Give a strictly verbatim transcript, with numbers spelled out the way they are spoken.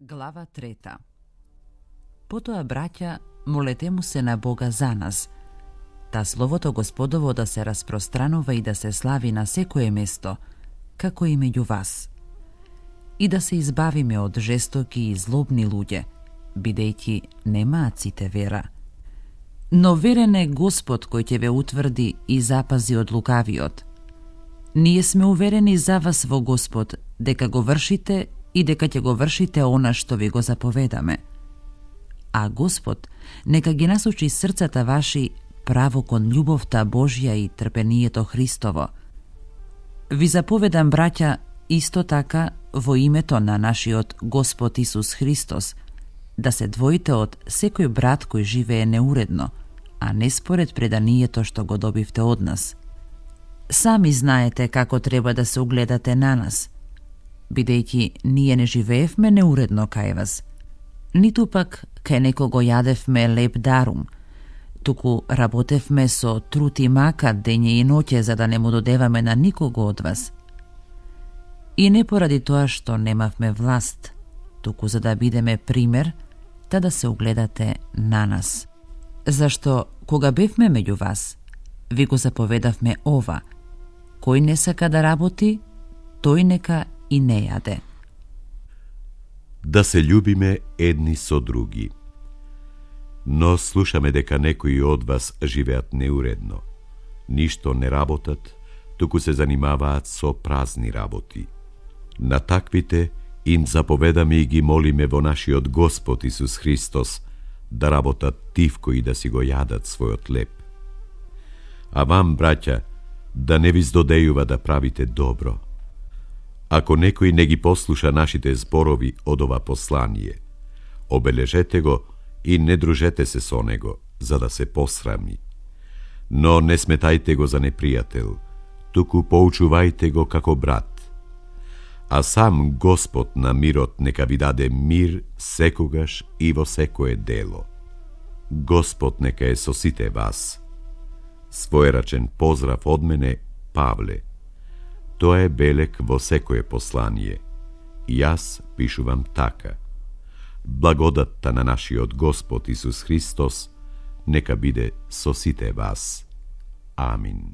Глава трета. Потоа, браќа, молете му се на Бога за нас, та Словото Господово да се распространува и да се слави на секое место, како и меѓу вас. И да се избавиме од жестоки и злобни луѓе, бидејќи немаат сите вера. Но верен е Господ кој ќе ве утврди и запази од лукавиот. Ние сме уверени за вас во Господ, дека го вршите и дека ќе го вршите она што ви го заповедаме. А Господ нека ги насочи срцата ваши право кон љубовта Божја и трпението Христово. Ви заповедам, браќа, исто така во името на нашиот Господ Исус Христос, да се двоите од секој брат кој живее неуредно, а не според преданието што го добивте од нас. Сами знаете како треба да се угледате на нас, бидејќи ние не живеевме неуредно кај вас, ниту пак кај некого јадевме леп дарум, туку работевме со труд и мака дење и ноќе за да не му додеваме на никого од вас. И не поради тоа што немавме власт, туку за да бидеме пример, та да се угледате на нас. Зашто, кога бевме меѓу вас, ви го заповедавме ова: кој не сака да работи, тој нека и не јаде. Да се љубиме едни со други. Но слушаме дека некои од вас живеат неуредно. Ништо не работат, туку се занимаваат со празни работи. На таквите им заповедаме и ги молиме во нашиот Господ Исус Христос да работат тивко и да си го јадат својот леп. А вам, браќа, да не ви здодејува да правите добро. Ако некој не ги послуша нашите зборови од ова послание, обележете го и не дружете се со него, за да се посрами. Но не сметајте го за непријател, туку поучувајте го како брат. А сам Господ на мирот нека ви даде мир секогаш и во секое дело. Господ нека е со сите вас. Своерачен поздрав од мене, Павле. Тоа е белек во секое послание. Јас пишувам така. Благодатта на нашиот Господ Исус Христос нека биде со сите вас. Амин.